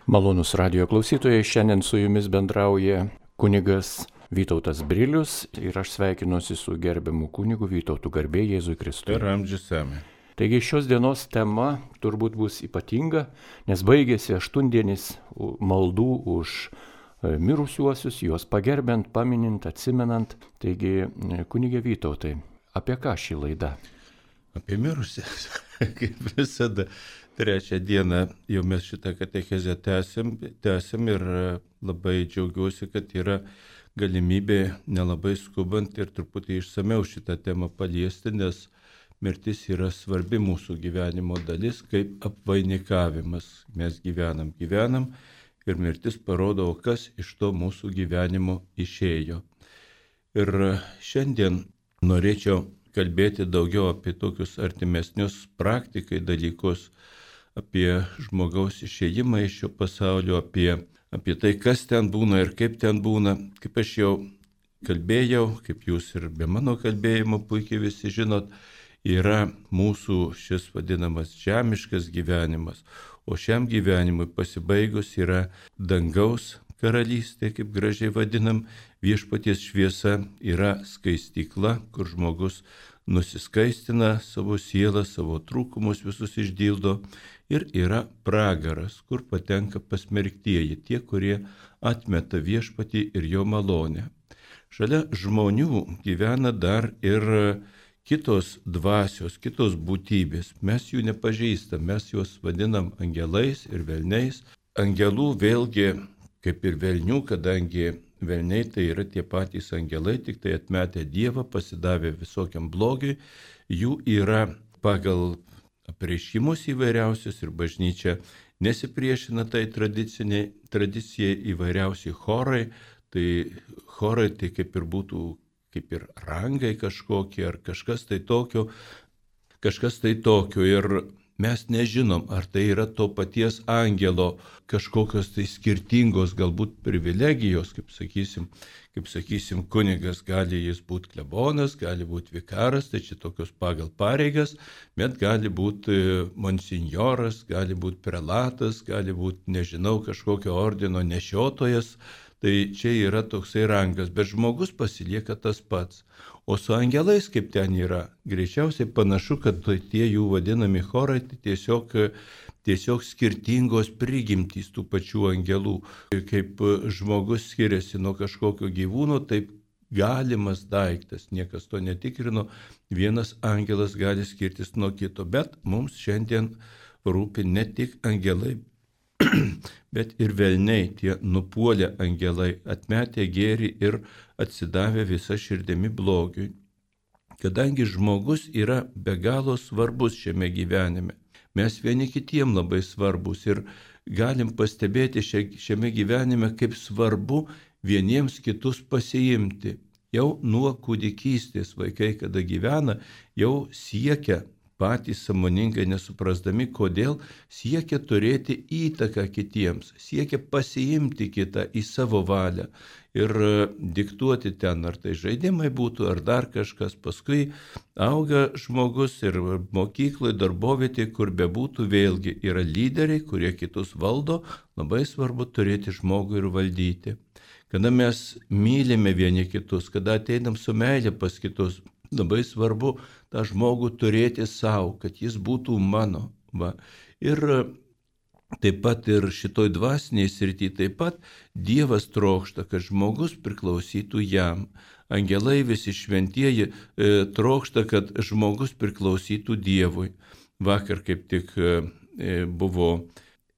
Malonus radio klausytojai, šiandien su jumis bendrauja kunigas Vytautas Brilius ir aš sveikinuosi su gerbiamu kunigu Vytautu, garbė Jėzui Kristui. Per amžius amen. Taigi šios dienos tema turbūt bus ypatinga, nes baigėsi 8-dienis maldų už mirusiuosius, juos pagerbiant, paminint, atsimenant. Taigi, kunigė Vytautai, apie ką ši laida? Apie mirusius, kaip visada. Trečią dieną jau mes šitą katechezę tęsim ir labai džiaugiuosi, kad yra galimybė nelabai skubant ir truputį išsameu šitą temą paliesti, nes mirtis yra svarbi mūsų gyvenimo dalis, kaip apvainikavimas. Mes gyvenam ir mirtis parodo, kas iš to mūsų gyvenimo išėjo. Ir šiandien norėčiau kalbėti daugiau apie tokius artimesnius praktikai dalykus, apie žmogaus išėjimą iš šio pasaulio, apie tai, kas ten būna ir kaip ten būna. Kaip aš jau kalbėjau, kaip jūs ir be mano kalbėjimo puikiai visi žinot, yra mūsų šis vadinamas žemiškas gyvenimas, o šiam gyvenimui pasibaigus yra dangaus karalystė, kaip gražiai vadinam, viešpaties šviesa yra skaistykla, kur žmogus nusiskaistina savo sielą, savo trūkumus visus išdildo, ir yra pragaras, kur patenka pasmerktieji, tie, kurie atmeta viešpatį ir jo malonę. Šalia žmonių gyvena dar ir kitos dvasios, kitos būtybės. Mes jų nepažįstam, mes juos vadinam angelais ir velniais. Angelų vėlgi, kaip ir velnių, kadangi velniai tai yra tie patys angelai, tik tai atmetę Dievą, pasidavę visokiam blogiui, jų yra pagal apreiškimus įvairiausius ir bažnyčia nesipriešina tai tradicijai įvairiausi chorai. Tai chorai tai kaip ir būtų, kaip ir rangai kažkokie ar kažkas tai tokio. Ir mes nežinom, ar tai yra to paties angelo kažkokios tai skirtingos galbūt privilegijos, kaip sakysim, kunigas gali jis būti klebonas, gali būti vikaras, tai čia tokios pagal pareigas, bet gali būti monsinjoras, gali būti prelatas, gali būti, nežinau, kažkokio ordino nešiotojas. Tai čia yra toksai rangas, bet žmogus pasilieka tas pats. O su angelais, kaip ten yra, greičiausiai panašu, kad tie jų vadinami chorai tai tiesiog skirtingos prigimtys tų pačių angelų. Kaip žmogus skiriasi nuo kažkokio gyvūno, taip galimas daiktas, niekas to netikrino, vienas angelas gali skirtis nuo kito, bet mums šiandien rūpi ne tik angelai, bet ir velniai, tie nupuolę angelai, atmetę gėrį ir atsidavę visą širdimi blogiui. Kadangi žmogus yra be galo svarbus šiame gyvenime, mes vieni kitiem labai svarbus ir galim pastebėti šiame gyvenime, kaip svarbu vieniems kitus pasiimti. Jau nuo kūdikystės vaikai, kada gyvena, jau siekia patys sąmoningai nesuprasdami, kodėl siekia turėti įtaką kitiems, siekia pasiimti kitą į savo valią ir diktuoti ten, ar tai žaidimai būtų, ar dar kažkas. Paskui auga žmogus ir mokykloje, darbovietėje, kur bebūtų, vėlgi yra lyderiai, kurie kitus valdo, labai svarbu turėti žmogų ir valdyti. Kada mes mylime vieni kitus, kada ateinam su meilė pas kitus, labai svarbu tą žmogų turėti savo, kad jis būtų mano. Va. Ir taip pat ir šitoj dvasiniai srity, taip pat Dievas trokšta, kad žmogus priklausytų jam. Angelai visi šventieji trokšta, kad žmogus priklausytų Dievui. Vakar kaip tik buvo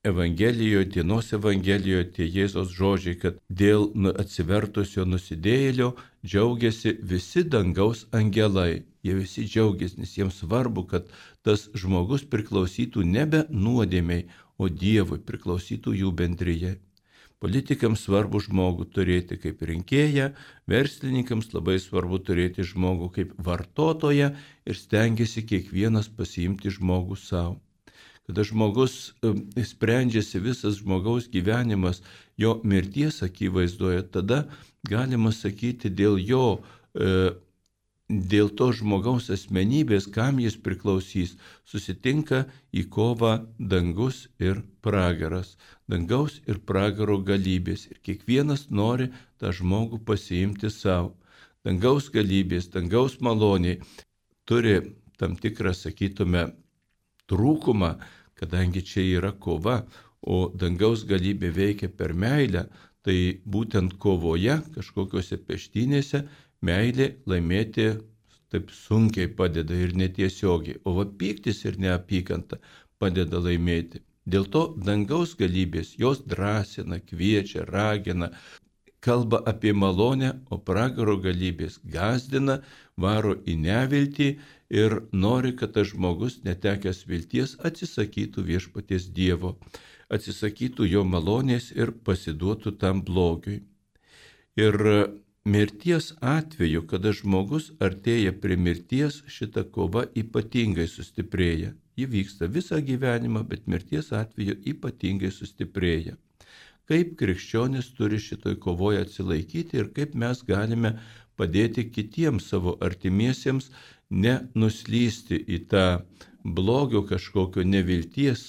Evangelijoje, dienos Evangelijoje tie Jėzos žodžiai, kad dėl atsivertusio nusidėjėlio džiaugiasi visi dangaus angelai. Jie visi džiaugiasi, nes jiems svarbu, kad tas žmogus priklausytų nebe nuodėmiai, o Dievui, priklausytų jų bendrijai. Politikams svarbu žmogų turėti kaip rinkėją, verslininkams labai svarbu turėti žmogų kaip vartotoją ir stengiasi kiekvienas pasiimti žmogų savo. Kada žmogus sprendžiasi visas žmogaus gyvenimas jo mirties akivaizdoje, tada galima sakyti dėl jo dėl to žmogaus asmenybės, kam jis priklausys, susitinka į kovą dangus ir pragaras, dangaus ir pragaro galybės. Ir kiekvienas nori tą žmogų pasiimti savo. Dangaus galybės, dangaus maloniai turi tam tikrą, sakytume, trūkumą, kadangi čia yra kova, o dangaus galybė veikia per meilę, tai būtent kovoje, kažkokiuose peštynėse, meilė laimėti taip sunkiai padeda ir netiesiogiai, o va pyktis ir neapykanta padeda laimėti. Dėl to dangaus galybės jos drąsina, kviečia, ragina, kalba apie malonę, o pragaro galybės gąsdina, varo į neviltį ir nori, kad tas žmogus netekęs vilties atsisakytų viešpaties Dievo, atsisakytų jo malonės ir pasiduotų tam blogiui. Ir mirties atveju, kada žmogus artėja prie mirties, šita kova ypatingai sustiprėja. Ji vyksta visą gyvenimą, bet mirties atveju ypatingai sustiprėja. Kaip krikščionis turi šitoj kovoje atsilaikyti ir kaip mes galime padėti kitiems savo artimiesiems nenuslysti į tą blogio kažkokio nevilties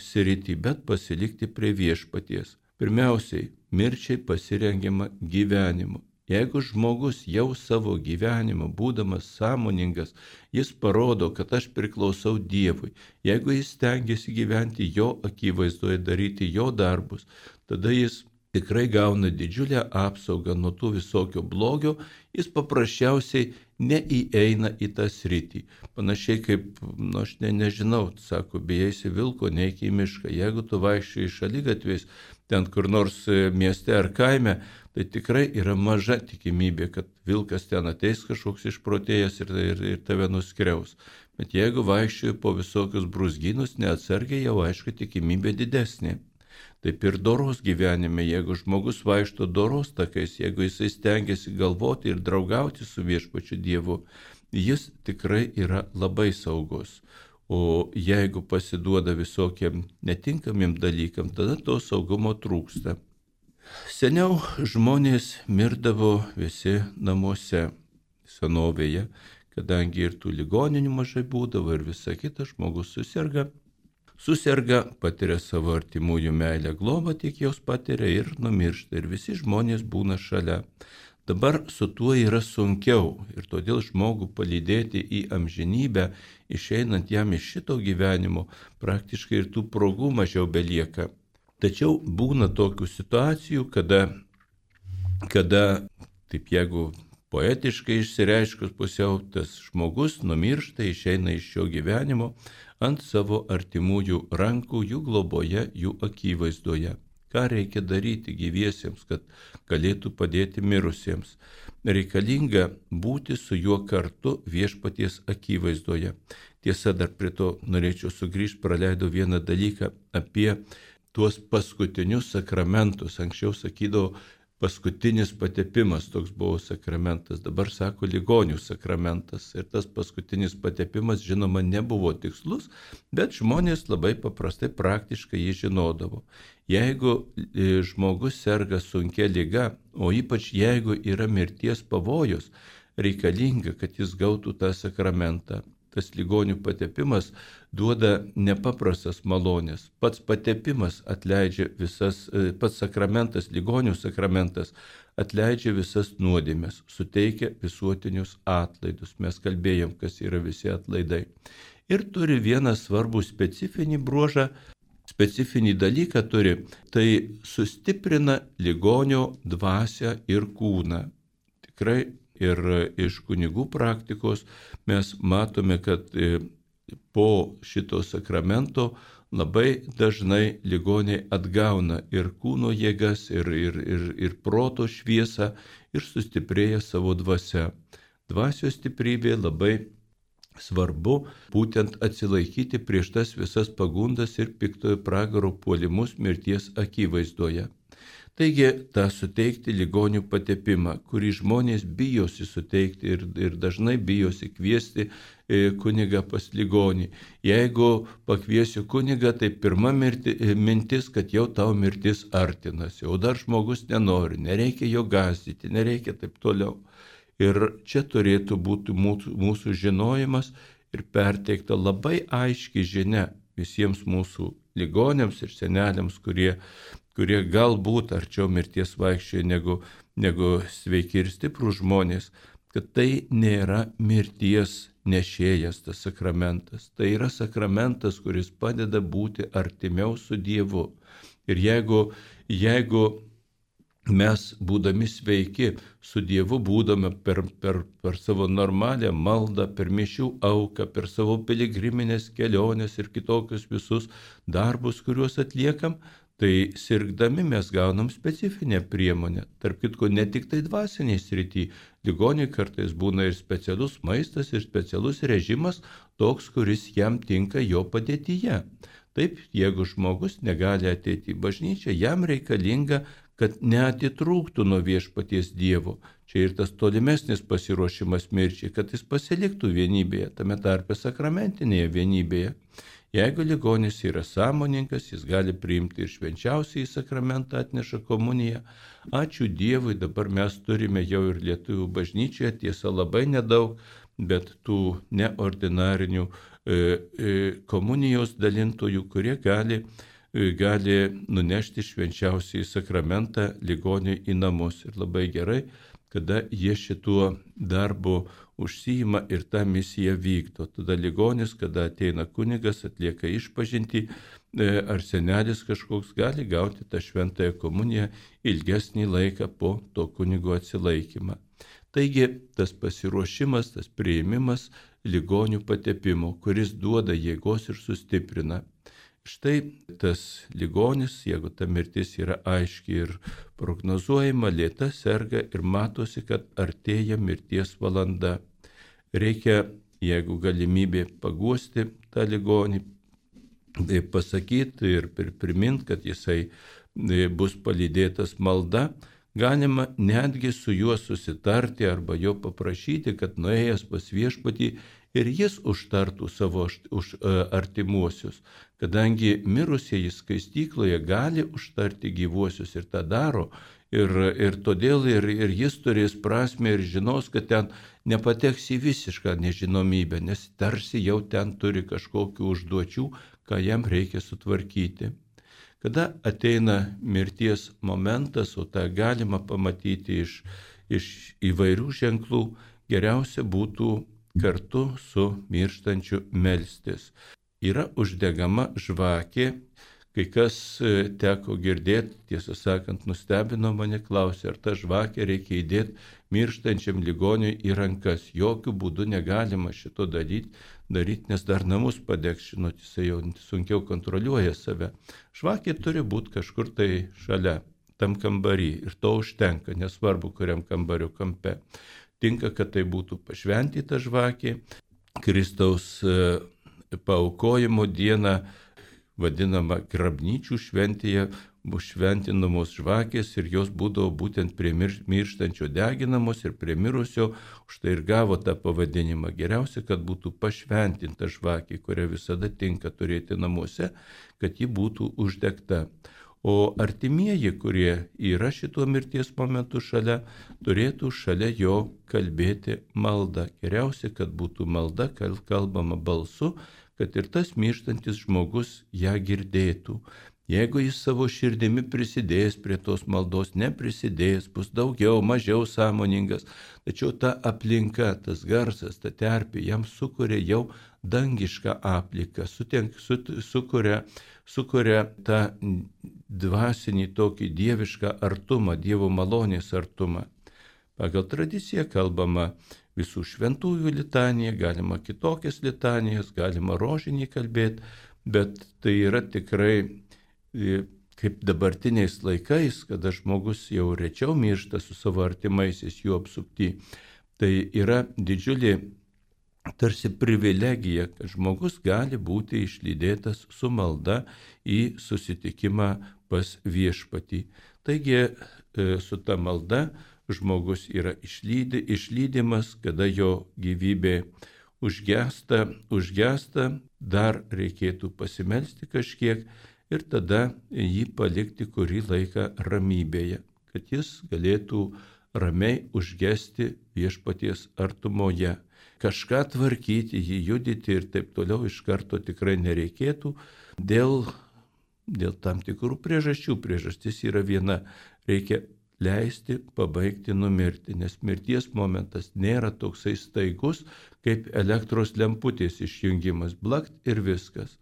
sritį, bet pasilikti prie viešpaties. Pirmiausiai, mirčiai pasirengiama gyvenimu. Jeigu žmogus jau savo gyvenimą, būdamas sąmoningas, jis parodo, kad aš priklausau Dievui, jeigu jis stengiasi gyventi jo akivaizdoje, daryti jo darbus, tada jis tikrai gauna didžiulę apsaugą nuo tų visokio blogio, jis paprasčiausiai neįeina į tą sritį. Panašiai kaip, aš nežinau, sako, bijai vilko, neik į mišką. Jeigu tu vaikščiai šaligatviais, ten kur nors mieste ar kaime, tai tikrai yra maža tikimybė, kad vilkas ten ateis kažkoks išprotėjęs ir tave nuskriaus. Bet jeigu vaikščiai po visokius brūzgynus, neatsargiai, jau aišku tikimybė didesnė. Taip ir doros gyvenime, jeigu žmogus vaikšto doros takais, jeigu jisai stengiasi galvoti ir draugauti su viešpačiu Dievu, jis tikrai yra labai saugus. O jeigu pasiduoda visokiem netinkamiem dalykam, tada to saugumo trūksta. Seniau žmonės mirdavo visi namuose senovėje, kadangi ir tų ligoninių mažai būdavo ir visa kita, žmogus suserga, patiria savo artimųjų meilę, globą tik jos patiria ir numiršta ir visi žmonės būna šalia. Dabar su tuo yra sunkiau ir todėl žmogų palydėti į amžinybę, išeinant jam iš šito gyvenimo, praktiškai ir tų progų mažiau belieka. Tačiau būna tokių situacijų, kada taip jeigu poetiškai išsireiškus pusiau, tas žmogus numiršta, išeina iš šio gyvenimo ant savo artimųjų rankų, jų globoje, jų akivaizdoje. Ką reikia daryti gyviesiems, kad galėtų padėti mirusiems? Reikalinga būti su juo kartu viešpaties akivaizdoje. Tiesa, dar prie to norėčiau sugrįžti, praleidau vieną dalyką apie tuos paskutinius sakramentus. Anksčiau sakydavo, paskutinis patepimas toks buvo sakramentas, dabar sako ligonių sakramentas. Ir tas paskutinis patepimas, žinoma, nebuvo tikslus, bet žmonės labai paprastai praktiškai jį žinodavo. Jeigu žmogus serga sunkia liga, o ypač jeigu yra mirties pavojus, reikalinga, kad jis gautų tą sakramentą. Tas ligonių patepimas duoda nepaprastas malonės. Pats patepimas atleidžia pats sakramentas, ligonių sakramentas atleidžia visas nuodėmes, suteikia visuotinius atlaidus. Mes kalbėjom, kas yra visi atlaidai. Ir turi vieną svarbų specifinį bruožą, specifinį dalyką turi, tai sustiprina ligonio dvasią ir kūną. Tikrai. Ir iš kunigų praktikos mes matome, kad po šito sakramento labai dažnai ligoniai atgauna ir kūno jėgas, ir proto šviesą, ir sustiprėja savo dvasia. Dvasios stiprybė labai svarbu būtent atsilaikyti prieš tas visas pagundas ir piktojo pragaro puolimus mirties akivaizdoje. Taigi, tą suteikti ligonių patepimą, kurį žmonės bijosi suteikti ir dažnai bijosi kviesti kunigą pas ligonį. Jeigu pakviesiu kunigą, tai pirma mintis, kad jau tau mirtis artinasi, o dar žmogus nenori, nereikia jo gąsdyti, nereikia taip toliau. Ir čia turėtų būti mūsų žinojimas ir perteikta labai aiški žinia visiems mūsų ligoniams ir seneliams, kurie galbūt arčiau mirties vaikščioja negu sveiki ir stiprūs žmonės, kad tai nėra mirties nešėjas tas sakramentas. Tai yra sakramentas, kuris padeda būti artimiau su Dievu. Ir jeigu mes, būdami sveiki, su Dievu būdame per savo normalią maldą, per mišių auką, per savo piligriminės keliones ir kitokius visus darbus, kuriuos atliekam, tai sirgdami mes gaunam specifinę priemonę. Tarp kitko, ne tik tai dvasiniai srity. Ligoniui kartais būna ir specialus maistas, ir specialus režimas, toks, kuris jam tinka jo padėtyje. Taip, jeigu žmogus negali ateiti į bažnyčią, jam reikalinga, kad neatitrūktų nuo viešpaties Dievo. Čia ir tas tolimesnis pasiruošimas mirčiai, kad jis pasiliktų vienybėje, tame tarpe sakramentinėje vienybėje. Jeigu ligonis yra sąmoningas, jis gali priimti ir švenčiausiąjį sakramentą, atneša komuniją. Ačiū Dievui, dabar mes turime jau ir lietuvių bažnyčioje, tiesa labai nedaug, bet tų neordinarinių komunijos dalintojų, kurie gali nunešti švenčiausiąjį sakramentą ligoniui į namus. Ir labai gerai, kada jie šituo darbu užsiima ir tą misiją vykdo. Tada ligonis, kada ateina kunigas, atlieka išpažintį, ar senelis kažkoks gali gauti tą šventąją komuniją ilgesnį laiką po to kunigo atsilaikymą. Taigi tas pasiruošimas, tas priėmimas ligonių patepimo, kuris duoda jėgos ir sustiprina. Štai tas ligonis, jeigu ta mirtis yra aiški ir prognozuojama, lėta serga ir matosi, kad artėja mirties valanda. Reikia, jeigu galimybė, paguosti tą ligonį, pasakyti ir priminti, kad jisai bus palydėtas malda. Galima netgi su juo susitarti arba jo paprašyti, kad nuėjęs pas viešpatį ir jis užtartų savo artimuosius, kadangi mirusieji skaistykloje gali užtarti gyvuosius ir tą daro, ir todėl ir jis turės prasmę ir žinos, kad ten nepateks į visišką nežinomybę, nes tarsi jau ten turi kažkokių užduočių, ką jam reikia sutvarkyti. Kada ateina mirties momentas, o tą galima pamatyti iš įvairių ženklų, geriausia būtų kartu su mirštančiu melstis. Yra uždegama žvakė, kai kas teko girdėti, tiesą sakant, nustebino mane, klausė, ar tą žvakę reikia įdėti mirštančiam ligoniui į rankas. Jokių būdų negalima šito daryti, nes dar namus padegs, žinot, jisai jau sunkiau kontroliuoja save. Žvakė turi būti kažkur tai šalia, tam kambarį, ir to užtenka, nesvarbu, kuriam kambario kampe. Tinka, kad tai būtų pašventyta žvakė. Kristaus paaukojimo dieną, vadinama grabnyčių šventėje, bus šventinamos žvakės ir jos būdavo būtent prie mirštančio deginamos ir prie mirusio, užtai ir gavo tą pavadinimą. Geriausia, kad būtų pašventinta žvakė, kurią visada tinka turėti namuose, kad ji būtų uždegta. O artimieji, kurie yra šituo mirties momentu šalia, turėtų šalia jo kalbėti maldą. Geriausia, kad būtų malda kalbama balsu, kad ir tas mirštantis žmogus ją girdėtų. Jeigu jis savo širdimi prisidės prie tos maldos, neprisidės, bus daugiau, mažiau sąmoningas, tačiau ta aplinka, tas garsas, ta terpė jam sukuria jau dangišką aplinką, sukuria tą dvasinį tokį dievišką artumą, Dievo malonės artumą. Pagal tradiciją kalbama visų šventųjų litanija, galima kitokias litanijas, galima rožinį kalbėti, bet tai yra tikrai kaip dabartiniais laikais, kada žmogus jau rečiau miršta su savo artimaisiais jų apsupty, tai yra didžiulė tarsi privilegija, kad žmogus gali būti išlydėtas su malda į susitikimą pas viešpatį. Taigi su ta malda žmogus yra išlydimas, kada jo gyvybė užgesta, dar reikėtų pasimelsti kažkiek ir tada jį palikti kurį laiką ramybėje, kad jis galėtų ramiai užgesti viešpaties artumoje. Kažką tvarkyti, jį judyti ir taip toliau iš karto tikrai nereikėtų dėl tam tikrų priežasčių. Priežastis yra viena - reikia leisti pabaigti numirti, nes mirties momentas nėra toksai staigus, kaip elektros lemputės išjungimas, blakt ir viskas.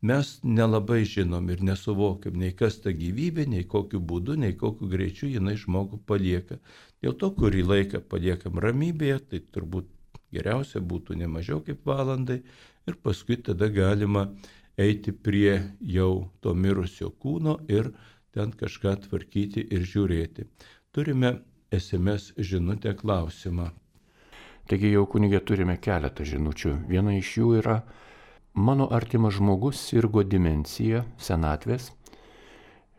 Mes nelabai žinom ir nesuvokiam, nei kas ta gyvybė, nei kokiu būdu, nei kokiu greičiu jinai žmogų palieka. Dėl to, kurį laiką paliekam ramybėje, tai turbūt geriausia būtų ne mažiau kaip valandai ir paskui tada galima eiti prie jau to mirusio kūno ir ten kažką tvarkyti ir žiūrėti. Turime SMS žinutę klausimą. Taigi jau kunigė turime keletą žinučių. Viena iš jų yra: mano artimas žmogus sirgo demencija, senatvės.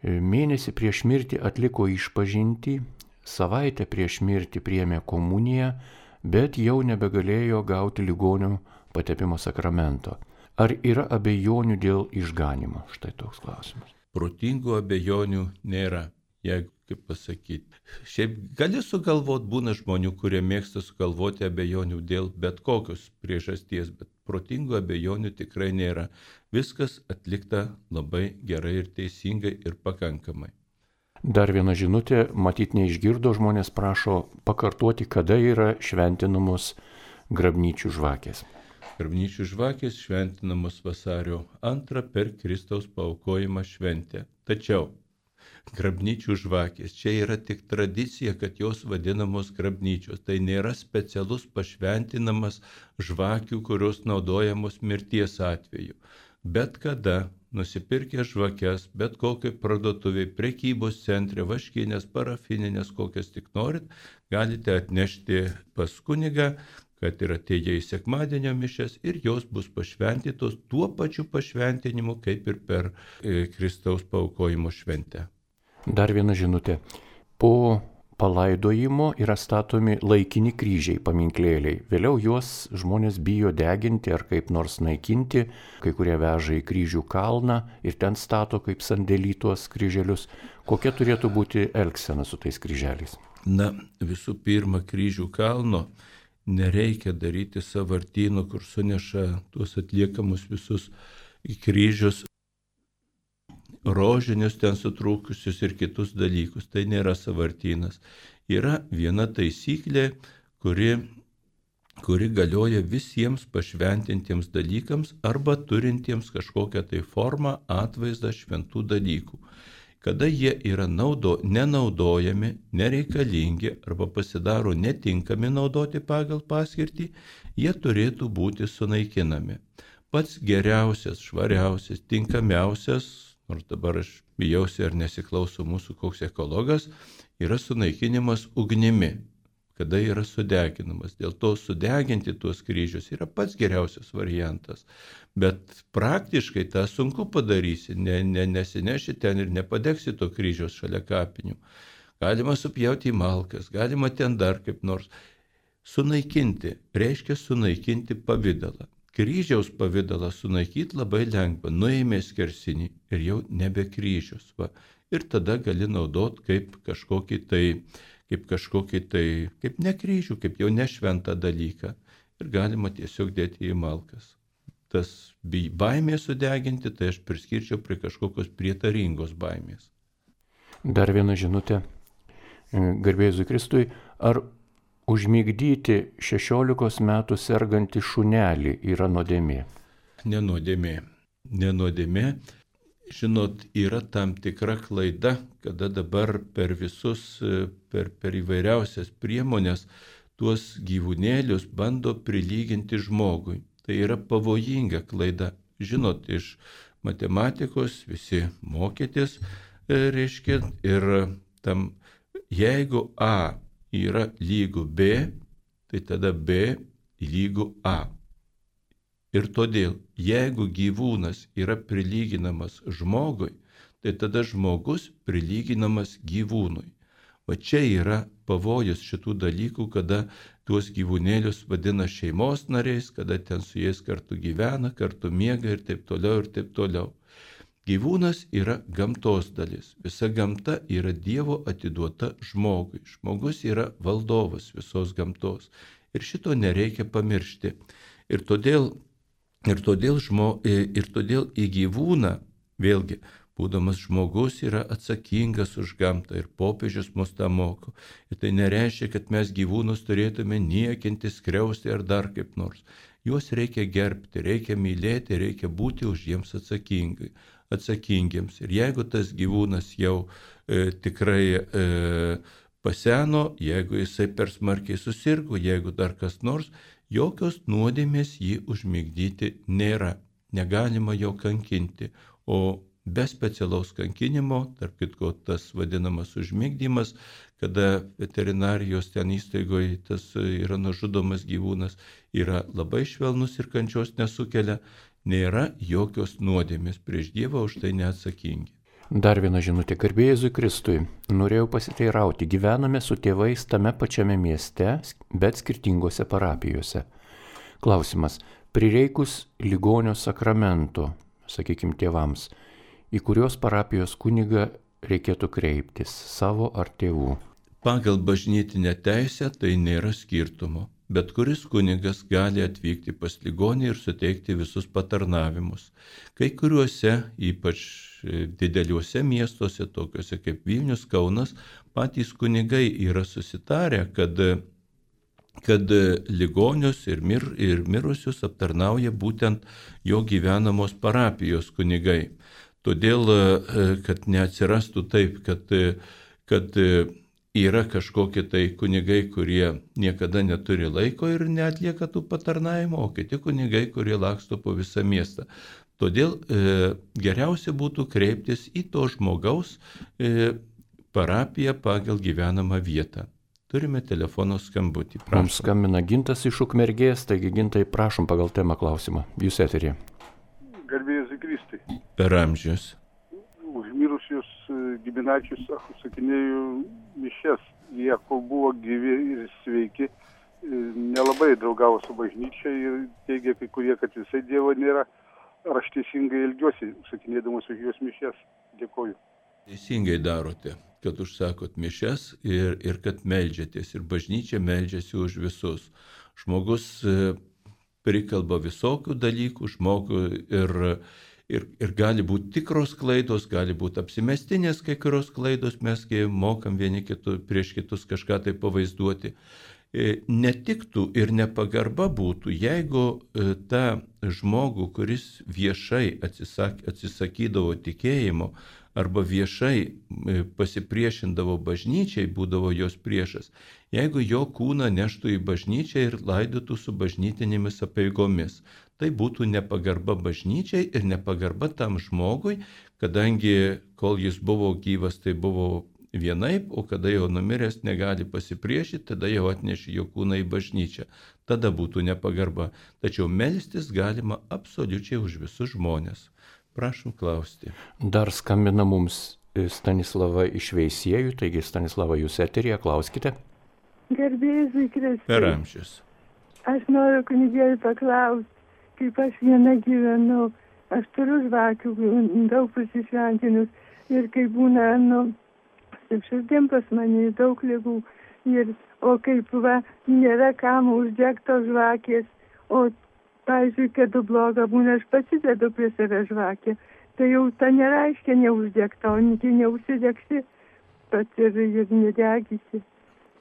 Mėnesį prieš mirtį atliko išpažintį, savaitę prieš mirtį priėmė komuniją, bet jau nebegalėjo gauti ligonių patepimo sakramento. Ar yra abejonių dėl išganimo? Štai toks klausimas. Protingų abejonių nėra, jeigu, kaip pasakyti. Šiaip gali sugalvoti, būna žmonių, kurie mėgsta sugalvoti abejonių dėl bet kokios priežasties, bet protingų abejonių tikrai nėra. Viskas atlikta labai gerai ir teisingai ir pakankamai. Dar viena žinutė, matyt neišgirdo, žmonės prašo pakartoti, kada yra šventinamos grabnyčių žvakės. Grabnyčių žvakės šventinamos vasario 2 per Kristaus paaukojimą šventę. Tačiau grabnyčių žvakės čia yra tik tradicija, kad jos vadinamos grabnyčios. Tai nėra specialus pašventinamas žvakių, kurios naudojamos mirties atveju. Bet kada nusipirkę žvakes, bet kokiai parduotuviai, prekybos centre, vaškinės, parafininės, kokias tik norit, galite atnešti pas kunigą, kad ir atėję į sekmadienio mišias ir jos bus pašventytos tuo pačiu pašventinimu, kaip ir per Kristaus paaukojimo šventę. Dar viena žinutė. Po palaidojimo yra statomi laikini kryžiai, paminklėliai. Vėliau juos žmonės bijo deginti ar kaip nors naikinti. Kai kurie veža į kryžių kalną ir ten stato kaip sandėly tuos kryželius. Kokia turėtų būti elgsena su tais kryželiais? Na, visų pirma, kryžių kalno nereikia daryti sąvartynų, kur suneša tuos atliekamus visus kryžius, rožinius ten sutrūkusius ir kitus dalykus. Tai nėra sąvartynas. Yra viena taisyklė, kuri galioja visiems pašventintiems dalykams arba turintiems kažkokią tai formą, atvaizdą šventų dalykų. Kada jie yra nenaudojami, nereikalingi arba pasidaro netinkami naudoti pagal paskirtį, jie turėtų būti sunaikinami. Pats geriausias, švariausias, tinkamiausias, nors dabar aš bijausi ar nesiklauso mūsų koks ekologas, yra sunaikinimas ugnimi, kada yra sudeginamas. Dėl to sudeginti tuos kryžius yra pats geriausias variantas. Bet praktiškai tą sunku padarysi, nesineši ten ir nepadegsi to kryžiaus šalia kapinių. Galima supjauti į malkas, galima ten dar kaip nors. Sunaikinti reiškia sunaikinti pavidalą. Kryžiaus pavidalą sunaikyti labai lengva, nuėmė skersinį ir jau nebe kryžius. Va. Ir tada gali naudoti kaip ne kryžių, kaip jau nešventą dalyką. Ir galima tiesiog dėti į malkas. Tas baimė sudeginti, tai aš priskirčiau prie kažkokios prietaringos baimės. Dar viena žinutė. Garbė Jėzui Kristui, ar užmigdyti 16 metų sergantį šunelį yra nuodėmė? Nenuodėmė. Žinot, yra tam tikra klaida, kada dabar per įvairiausias priemonės tuos gyvūnėlius bando prilyginti žmogui. Tai yra pavojinga klaida. Žinot, iš matematikos visi mokytis, reiškia, ir tam, jeigu A yra lygu B, tai tada B lygu A. Ir todėl, jeigu gyvūnas yra prilyginamas žmogui, tai tada žmogus prilyginamas gyvūnui. Va čia yra pavojus šitų dalykų, kada tuos gyvūnėlius vadina šeimos nariais, kada ten su jais kartu gyvena, kartu miega ir taip toliau ir taip toliau. Gyvūnas yra gamtos dalis. Visa gamta yra Dievo atiduota žmogui. Žmogus yra valdovas visos gamtos. Ir šito nereikia pamiršti. Ir todėl į gyvūną, vėlgi, būdamas žmogus yra atsakingas už gamtą ir popiežius mus tą moko. Ir tai nereiškia, kad mes gyvūnus turėtume niekinti, skriausti ar dar kaip nors. Juos reikia gerbti, reikia mylėti, reikia būti už jiems atsakingiems. Ir jeigu tas gyvūnas jau tikrai paseno, jeigu jisai per smarkiai susirgo, jeigu dar kas nors, jokios nuodėmės jį užmigdyti nėra. Negalima jo kankinti, o be specialaus kankinimo, tarp kitko tas vadinamas užmigdymas, kada veterinarijos ten įstaigoje tas yra nužudomas gyvūnas, yra labai švelnus ir kančios nesukelia, nėra jokios nuodėmės, prieš Dievą už tai neatsakingi. Dar viena žinutė, garbė Jėzui Kristui. Norėjau pasiteirauti, gyvename su tėvais tame pačiame mieste, bet skirtingose parapijose. Klausimas, prireikus ligonio sakramento, sakykime tėvams, į kurios parapijos kunigą reikėtų kreiptis, savo ar tėvų? Pagal bažnytinę teisę tai nėra skirtumo. Bet kuris kunigas gali atvykti pas ligonį ir suteikti visus patarnavimus. Kai kuriuose, ypač dideliuose miestuose, tokiuose kaip Vilnius, Kaunas, patys kunigai yra susitarę, kad ligonius ir mirusius aptarnauja būtent jo gyvenamos parapijos kunigai. Todėl, kad neatsirastų taip, kad yra kažkokie tai kunigai, kurie niekada neturi laiko ir neatlieka tų patarnavimų, o kiti kunigai, kurie laksto po visą miestą. Todėl geriausia būtų kreiptis į to žmogaus parapiją pagal gyvenamą vietą. Turime telefono skambutį. Prašom. Mums skambina Gintas iš Ukmergės, taigi Gintai, prašom pagal temą klausimą. Jūs eterį. Garbė Jėzui Kristui. Per amžius. Už mirusius giminaičius sakinėjau mišias. Jie, kol buvo gyvi ir sveiki, nelabai draugavo su bažnyčia ir teigia kai kurie, kad visai Dievo nėra. Ar aš teisingai elgiuosi, sakinėdamas už juos mišias? Dėkoju. Teisingai darote, kad užsakot mišias ir kad meldžiatės. Ir bažnyčia meldžiasi už visus. Žmogus prikalba visokių dalykų, žmogų ir gali būti tikros klaidos, gali būti apsimestinės kai kurios klaidos, mes mokam vieni prieš kitus kažką tai pavaizduoti. Netiktų ir nepagarba būtų, jeigu tą žmogų, kuris viešai atsisakydavo tikėjimo arba viešai pasipriešindavo bažnyčiai, būdavo jos priešas, jeigu jo kūną neštų į bažnyčią ir laidotų su bažnytinėmis apeigomis. Tai būtų nepagarba bažnyčiai ir nepagarba tam žmogui, kadangi kol jis buvo gyvas, tai buvo vienaip, o kada jau numiręs negali pasipriešyti, tada jau atneši jo kūną į bažnyčią. Tada būtų nepagarba. Tačiau melstis galima absoliučiai už visus žmonės. Prašom klausti. Dar skambina mums Stanislava iš Veisiejų, taigi Stanislava, jūs eterėje, klauskite. Garbė Jėzui Kristui. Per amžius. Aš noriu kunigėlį paklausti, kaip aš viena gyvenu. Aš turiu žvakių, daug pasišventinus ir kai būna, širdim pas mane daug ligų, o kaip nėra kam uždegtos žvakės, o pavyzdžiui, kad bloga būna, aš pasidedu prie savęs žvakę, tai jau ta nereiškia neuždegta, o neužsidegsi pats ir nedegysi.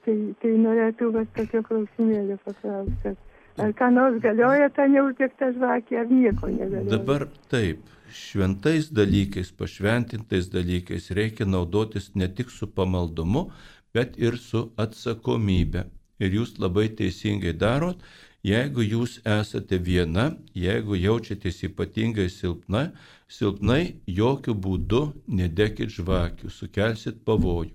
Tai norėtų tokio klausimėlio paklausti. Ar ką nors galioja ta neuždegta žvakė, ar nieko negalioja? Dabar taip, šventais dalykais, pašventintais dalykais reikia naudotis ne tik su pamaldumu, bet ir su atsakomybė. Ir jūs labai teisingai darot, jeigu jūs esate viena, jeigu jaučiatės ypatingai silpnai, jokių būdų nedekit žvakių, sukelsit pavojų.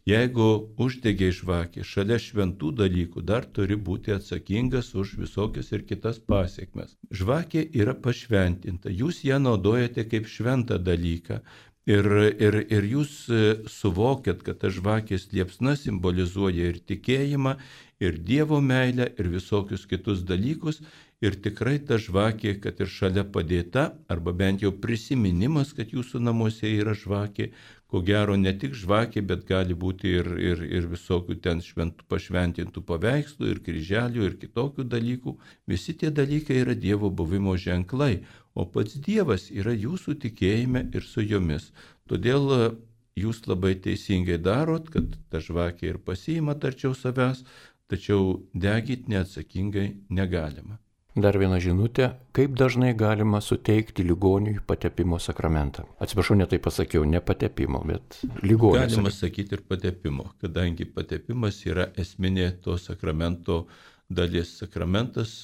Jeigu uždegiai žvakį, šalia šventų dalykų dar turi būti atsakingas už visokias ir kitas pasiekmes. Žvakė yra pašventinta, jūs ją naudojate kaip šventą dalyką ir jūs suvokiat, kad ta žvakės liepsna simbolizuoja ir tikėjimą, ir Dievo meilę, ir visokius kitus dalykus, Ir tikrai ta žvakė, kad ir šalia padėta, arba bent jau prisiminimas, kad jūsų namuose yra žvakė, ko gero ne tik žvakė, bet gali būti ir visokių ten pašventintų paveikslų, ir kryželių, ir kitokių dalykų. Visi tie dalykai yra Dievo buvimo ženklai, o pats Dievas yra jūsų tikėjime ir su jumis. Todėl jūs labai teisingai darot, kad ta žvakė ir pasiimat arčiau savęs, tačiau degyti neatsakingai negalima. Dar viena žinutė, kaip dažnai galima suteikti ligoniui patepimo sakramentą. Atsiprašau, netai pasakiau, ne patepimo, bet ligonio. Galima sakyti ir patepimo, kadangi patepimas yra esminė to sakramento dalis. Sakramentas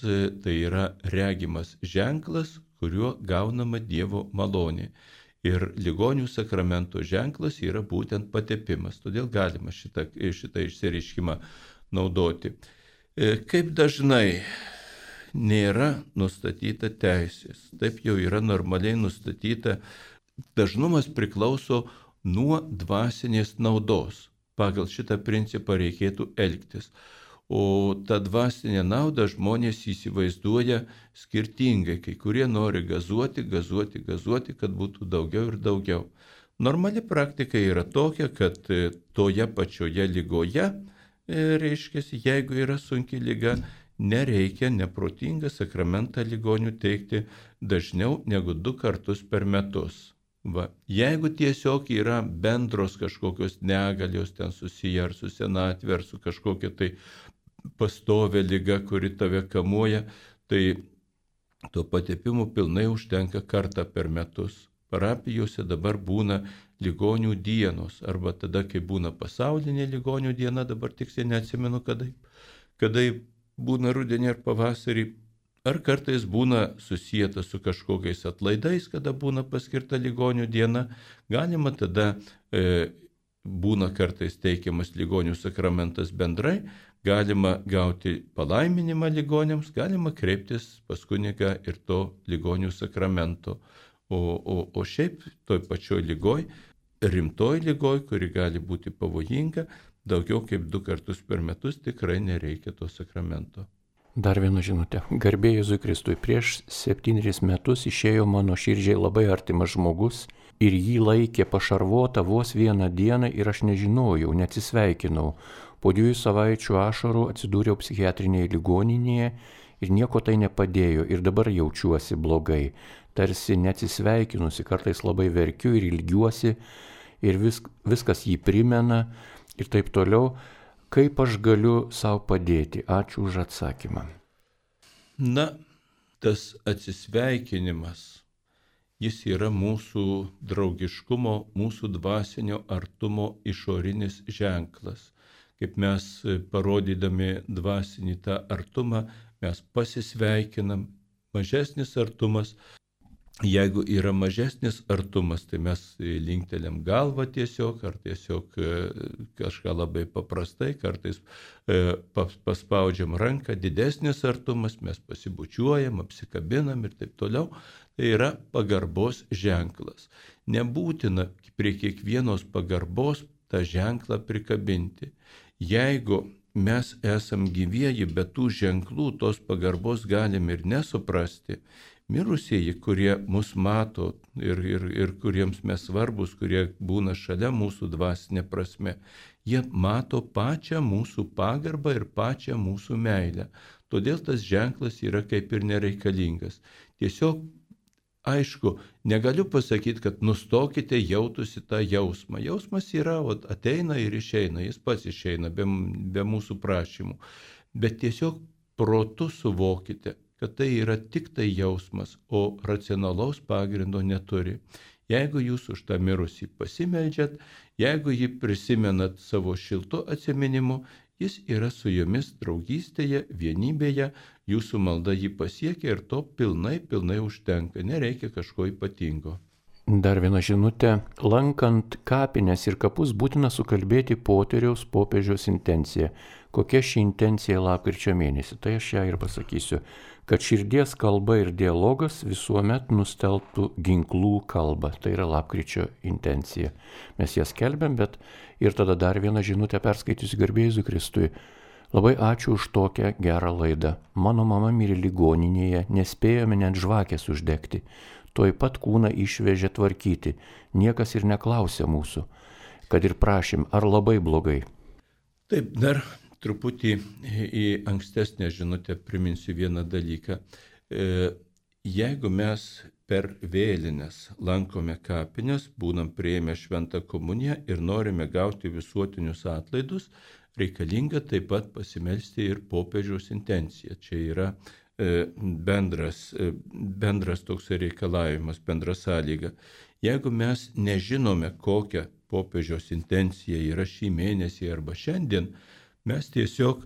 tai yra regimas ženklas, kuriuo gaunama Dievo malonė. Ir ligonių sakramento ženklas yra būtent patepimas. Todėl galima šitą išsireiškimą naudoti. Kaip dažnai nėra nustatyta teisės. Taip jau yra normaliai nustatyta. Dažnumas priklauso nuo dvasinės naudos. Pagal šitą principą reikėtų elgtis. O tą dvasinę naudą žmonės įsivaizduoja skirtingai. Kai kurie nori gazuoti, kad būtų daugiau ir daugiau. Normali praktika yra tokia, kad toje pačioje ligoje, reiškia, jeigu yra sunki liga, nereikia neprotingą sakramentą ligonių teikti dažniau negu 2 kartus per metus. Va. Jeigu tiesiog yra bendros kažkokios negalios ten susiję ar su senatvė, ar su kažkokia tai pastovė liga, kuri tave kamuoja, tai to patepimo pilnai užtenka kartą per metus. Parapijose dabar būna ligonių dienos, arba tada, kai būna pasaulinė ligonių diena, dabar tiksliai neatsimenu, kada būna rudenį ar pavasarį, ar kartais būna susijęta su kažkokiais atlaidais, kada būna paskirta ligonių diena. Galima tada, būna kartais teikiamas ligonių sakramentas bendrai, galima gauti palaiminimą ligoniams, galima kreiptis pas kunigą ir to ligonių sakramento. O šiaip toj pačioj ligoj, rimtoj ligoj, kuri gali būti pavojinga, daugiau kaip 2 kartus per metus tikrai nereikia to sakramento. Dar viena žinutė. Garbė Jėzui Kristui. Prieš 7 metus išėjo mano širdžiai labai artimas žmogus ir jį laikė pašarvotą vos 1 dieną ir aš nežinojau, neatsisveikinau. Po 2 savaičių ašarų atsidūriau psichiatrinėje ligoninėje ir nieko tai nepadėjo ir dabar jaučiuosi blogai. Tarsi neatsisveikinusi, kartais labai verkiu ir ilgiuosi ir viskas jį primena ir taip toliau. Kaip aš galiu savo padėti? Ačiū už atsakymą. Na, tas atsisveikinimas, jis yra mūsų draugiškumo, mūsų dvasinio artumo išorinis ženklas. Kaip mes parodydami dvasinį tą artumą, mes pasisveikinam. Mažesnis artumas. Jeigu yra mažesnis artumas, tai mes linkteliam galvą tiesiog, ar tiesiog kažką labai paprastai, kartais paspaudžiam ranką. Didesnis artumas, mes pasibučiuojam, apsikabinam ir taip toliau. Tai yra pagarbos ženklas. Nebūtina prie kiekvienos pagarbos tą ženklą prikabinti. Jeigu mes esam gyvieji, bet tų ženklų, tos pagarbos galim ir nesuprasti, mirusieji, kurie mus mato ir kuriems mes svarbus, kurie būna šalia mūsų dvasinė prasme, jie mato pačią mūsų pagarbą ir pačią mūsų meilę. Todėl tas ženklas yra kaip ir nereikalingas. Tiesiog, aišku, negaliu pasakyti, kad nustokite jautusi tą jausmą. Jausmas yra, ateina ir išeina, jis pats išeina be mūsų prašymų. Bet tiesiog protu suvokite, kad tai yra tik tai jausmas, o racionalaus pagrindo neturi. Jeigu jūs už tą mirusį pasimeldžiat, jeigu jį prisimenat savo šiltu atsiminimu, jis yra su jumis draugystėje, vienybėje, jūsų malda jį pasiekia ir to pilnai užtenka, nereikia kažko ypatingo. Dar viena žinutė. Lankant kapines ir kapus būtina sukalbėti poteriaus popiežiaus intenciją. Kokia ši intencija lapkričio mėnesį? Tai aš ją ir pasakysiu. Kad širdies kalba ir dialogas visuomet nustelbtų ginklų kalbą. Tai yra lapkričio intencija. Mes ją skelbiam, bet ir tada dar vieną žinutę perskaitysiu garbė Jėzui Kristui. Labai ačiū už tokią gerą laidą. Mano mama mirė ligoninėje, nespėjome net žvakės uždegti. Tuoj pat kūną išvežė tvarkyti. Niekas ir neklausė mūsų, kad ir prašym, ar labai blogai. Taip, dar truputį į ankstesnę žinutę priminsiu vieną dalyką. Jeigu mes per vėlines lankome kapines, būnam priėmę šventą komuniją ir norime gauti visuotinius atlaidus, reikalinga taip pat pasimelsti ir popiežiaus intenciją. Čia yra bendras toks reikalavimas, bendra sąlyga. Jeigu mes nežinome, kokia popiežiaus intencija yra šį mėnesį arba šiandien, mes tiesiog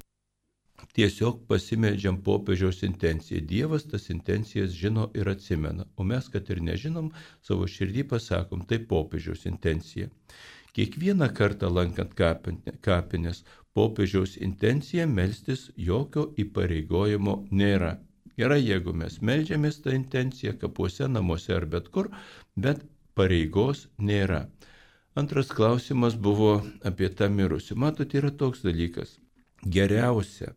pasimeldžiam popiežiaus intenciją. Dievas tas intencijas žino ir atsimena, o mes, kad ir nežinom, savo širdį pasakom, tai popiežiaus intencija. Kiekvieną kartą lankant kapines, popiežiaus intencija melstis jokio įpareigojimo nėra. Gerai, jeigu mes meldžiamės tą intenciją kapuose, namuose ar bet kur, bet pareigos nėra. Antras klausimas buvo apie tą mirusį. Matot, yra toks dalykas. Geriausia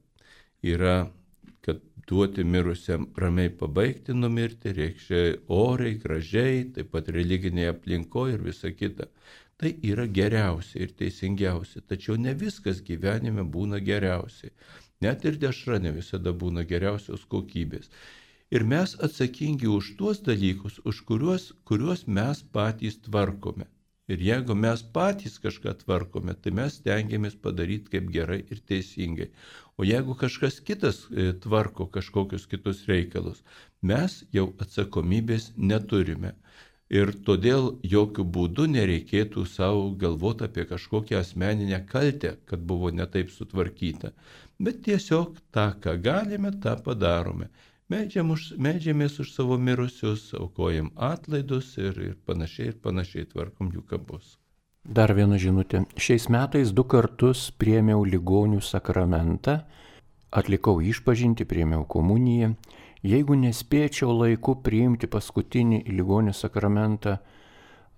yra, kad duoti mirusiam ramiai pabaigti numirti, reikia oriai, gražiai, taip pat religinėje aplinkoje ir visa kita. Tai yra geriausia ir teisingiausia, tačiau ne viskas gyvenime būna geriausiai. Net ir dešra ne visada būna geriausios kokybės. Ir mes atsakingi už tuos dalykus, už kuriuos mes patys tvarkome. Ir jeigu mes patys kažką tvarkome, tai mes stengiamės padaryti kaip gerai ir teisingai. O jeigu kažkas kitas tvarko kažkokius kitus reikalus, mes jau atsakomybės neturime. Ir todėl jokių būdų nereikėtų savo galvoti apie kažkokią asmeninę kaltę, kad buvo netaip sutvarkyta. Bet tiesiog tą, ką galime, tą padarome. Meldžiamės už savo mirusius, aukojam atlaidus ir panašiai tvarkom jų kapus. Dar viena žinutė. Šiais metais 2 kartus priėmiau ligonių sakramentą, atlikau išpažintį, priėmiau komuniją. Jeigu nespėčiau laiku priimti paskutinį ligonių sakramentą,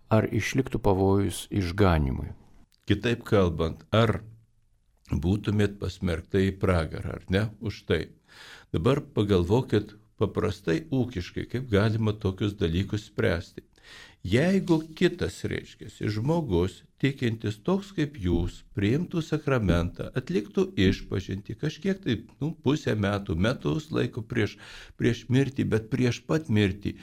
ar išliktų pavojus išganimui? Kitaip kalbant, ar būtumėt pasmerkta į pragarą, ar ne, už tai? Dabar pagalvokit paprastai ūkiškai, kaip galima tokius dalykus spręsti. Jeigu kitas reiškiasi žmogus, tikintis toks kaip jūs, priimtų sakramentą, atliktų išpažintį kažkiek tai pusę metų, metus laiko prieš mirtį, bet prieš pat mirtį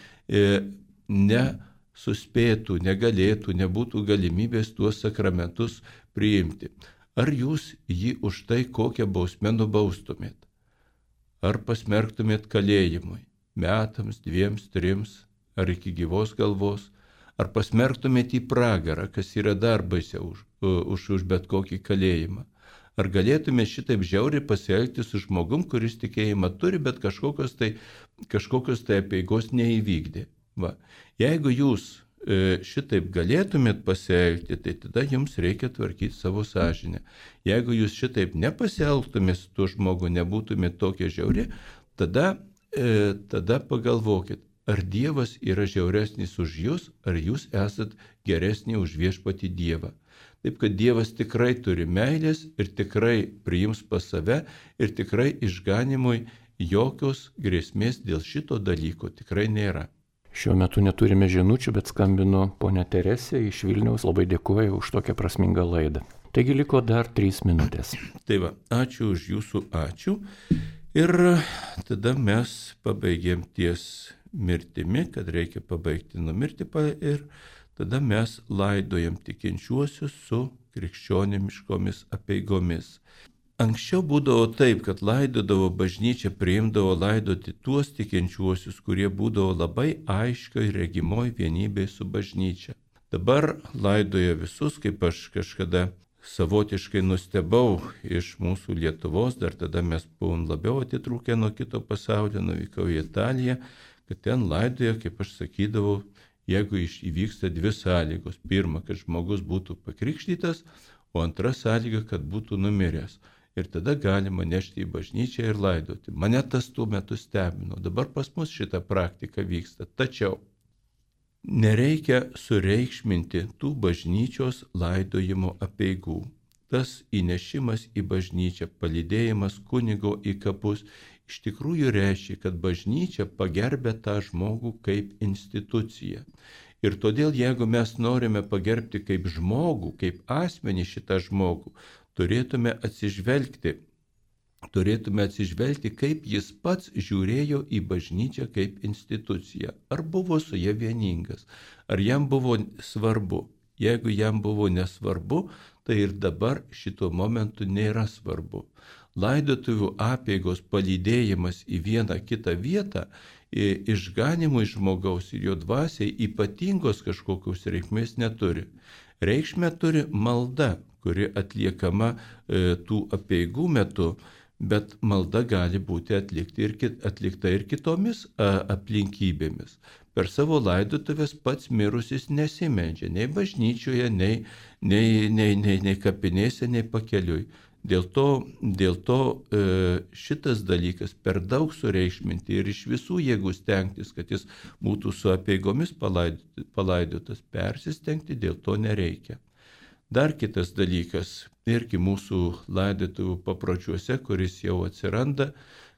nesuspėtų, negalėtų, nebūtų galimybės tuos sakramentus priimti. Ar jūs jį už tai kokią bausmę nubaustumėt? Ar pasmerktumėt kalėjimui? Metams, 2, 3, ar iki gyvos galvos? Ar pasmerktumėt į pragarą, kas yra dar baisiau už bet kokį kalėjimą? Ar galėtumėt šitaip žiauriai pasielgti su žmogum, kuris tikėjimą turi, bet kažkokios tai apeigos neįvykdė? Va. Jeigu jūs šitaip galėtumėt pasielgti, tai tada jums reikia tvarkyti savo sąžinę. Jeigu jūs šitaip nepasielgtumėt su tuo žmogu, nebūtumėt tokie žiauri, tada pagalvokit. Ar Dievas yra žiauresnis už jūs, ar jūs esat geresni už viešpatį Dievą. Taip, kad Dievas tikrai turi meilės ir tikrai priims pas save ir tikrai išganimui jokios grėsmės dėl šito dalyko tikrai nėra. Šiuo metu neturime žinučių, bet skambino ponia Teresė iš Vilniaus, labai dėkoju už tokią prasmingą laidą. Taigi liko dar 3 minutės. Tai va, ačiū už jūsų ačiū. Ir tada mes pabaigėm ties mirtimi, kad reikia pabaigti numirti ir tada mes laidojam tikinčiuosius su krikščioniškomis apeigomis. Anksčiau būdavo taip, kad laidodavo bažnyčia, priimdavo laidoti tuos tikinčiuosius, kurie būdavo labai aiškiai regimoj vienybėj su bažnyčia. Dabar laidoja visus, kaip aš kažkada savotiškai nustebau iš mūsų Lietuvos, dar tada mes buvom labiau atitrūkę nuo kito pasaulio, nuvykau į Italiją, kad ten laidoja, kaip aš sakydavau, jeigu įvyksta 2 sąlygos. Pirma, kad žmogus būtų pakrikštytas, o antra sąlyga, kad būtų numiręs. Ir tada galima nešti į bažnyčią ir laidoti. Mane tas tuo metu stebino. Dabar pas mus šita praktika vyksta. Tačiau nereikia sureikšminti tų bažnyčios laidojimo apeigų. tas įnešimas į bažnyčią, palydėjimas kunigo į kapus, iš tikrųjų reiškia, kad bažnyčia pagerbė tą žmogų kaip instituciją. Ir todėl, jeigu mes norime pagerbti kaip žmogų, kaip asmenį šitą žmogų, turėtume atsižvelgti, kaip jis pats žiūrėjo į bažnyčią kaip instituciją. Ar buvo su ja vieningas, ar jam buvo svarbu. Jeigu jam buvo nesvarbu, tai ir dabar šito momentu nėra svarbu. Laidotuvių apeigos palydėjimas į vieną kitą vietą išganimui žmogaus ir jo dvasiai ypatingos kažkokios reikmės neturi. Reikšmę turi malda, kuri atliekama tų apeigų metu, bet malda gali būti atlikta ir kitomis aplinkybėmis. Per savo laidotuvės pats mirusis nesimeldžia nei bažnyčioje, nei kapinėse, nei pakeliui. Dėl to šitas dalykas per daug sureikšminti ir iš visų jėgų stengtis, kad jis būtų su apeigomis palaidotas, persistengti dėl to nereikia. Dar kitas dalykas, irgi mūsų laidotuvių papročiuose, kuris jau atsiranda,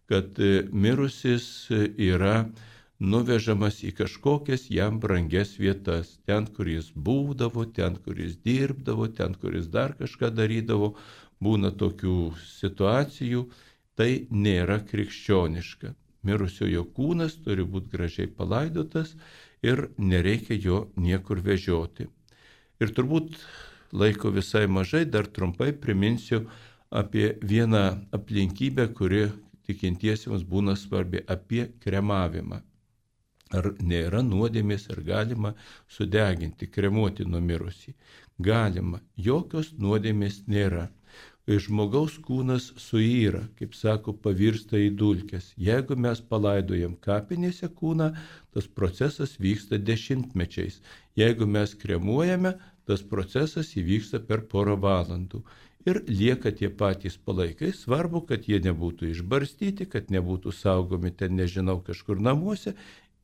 kad mirusis yra nuvežamas į kažkokias jam brangias vietas, ten, kur jis būdavo, ten, kur jis dirbdavo, ten, kur jis dar kažką darydavo. Būna tokių situacijų, tai nėra krikščioniška. Mirusiojo kūnas turi būti gražiai palaidotas ir nereikia jo niekur vežioti. Ir turbūt laiko visai mažai, dar trumpai priminsiu apie vieną aplinkybę, kuri tikintiesiems būna svarbi, apie kremavimą. Ar nėra nuodėmės, ar galima sudeginti, kremuoti numirusį? Galima, jokios nuodėmės nėra. Žmogaus kūnas suyra, kaip sako, pavirsta į dulkes. Jeigu mes palaidojam kapinėse kūną, tas procesas vyksta dešimtmečiais. Jeigu mes kremuojame, tas procesas įvyksta per porą valandų. Ir lieka tie patys palaikai. Svarbu, kad jie nebūtų išbarstyti, kad nebūtų saugomi ten, nežinau, kažkur namuose.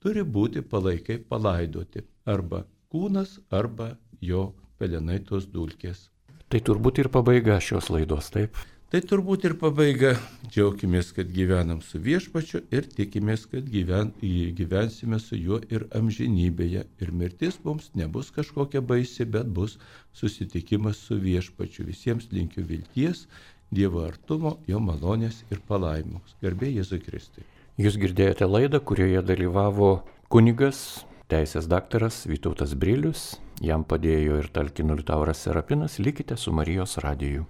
Turi būti palaikai palaidoti. Arba kūnas, arba jo pelenai, tos dulkės. Tai turbūt ir pabaiga šios laidos, taip? Tai turbūt ir pabaiga. Džiaukimės, kad gyvenam su Viešpačiu ir tikimės, kad gyvensime su juo ir amžinybėje. Ir mirtis mums nebus kažkokia baisi, bet bus susitikimas su Viešpačiu. Visiems linkiu vilties, Dievo artumo, jo malonės ir palaimos. Garbė Jėzui Kristui. Jūs girdėjote laidą, kurioje dalyvavo kunigas, teisės daktaras Vytautas Brilius. Jam padėjo ir talkino Liutauras Serapinas. Likite su Marijos radiju.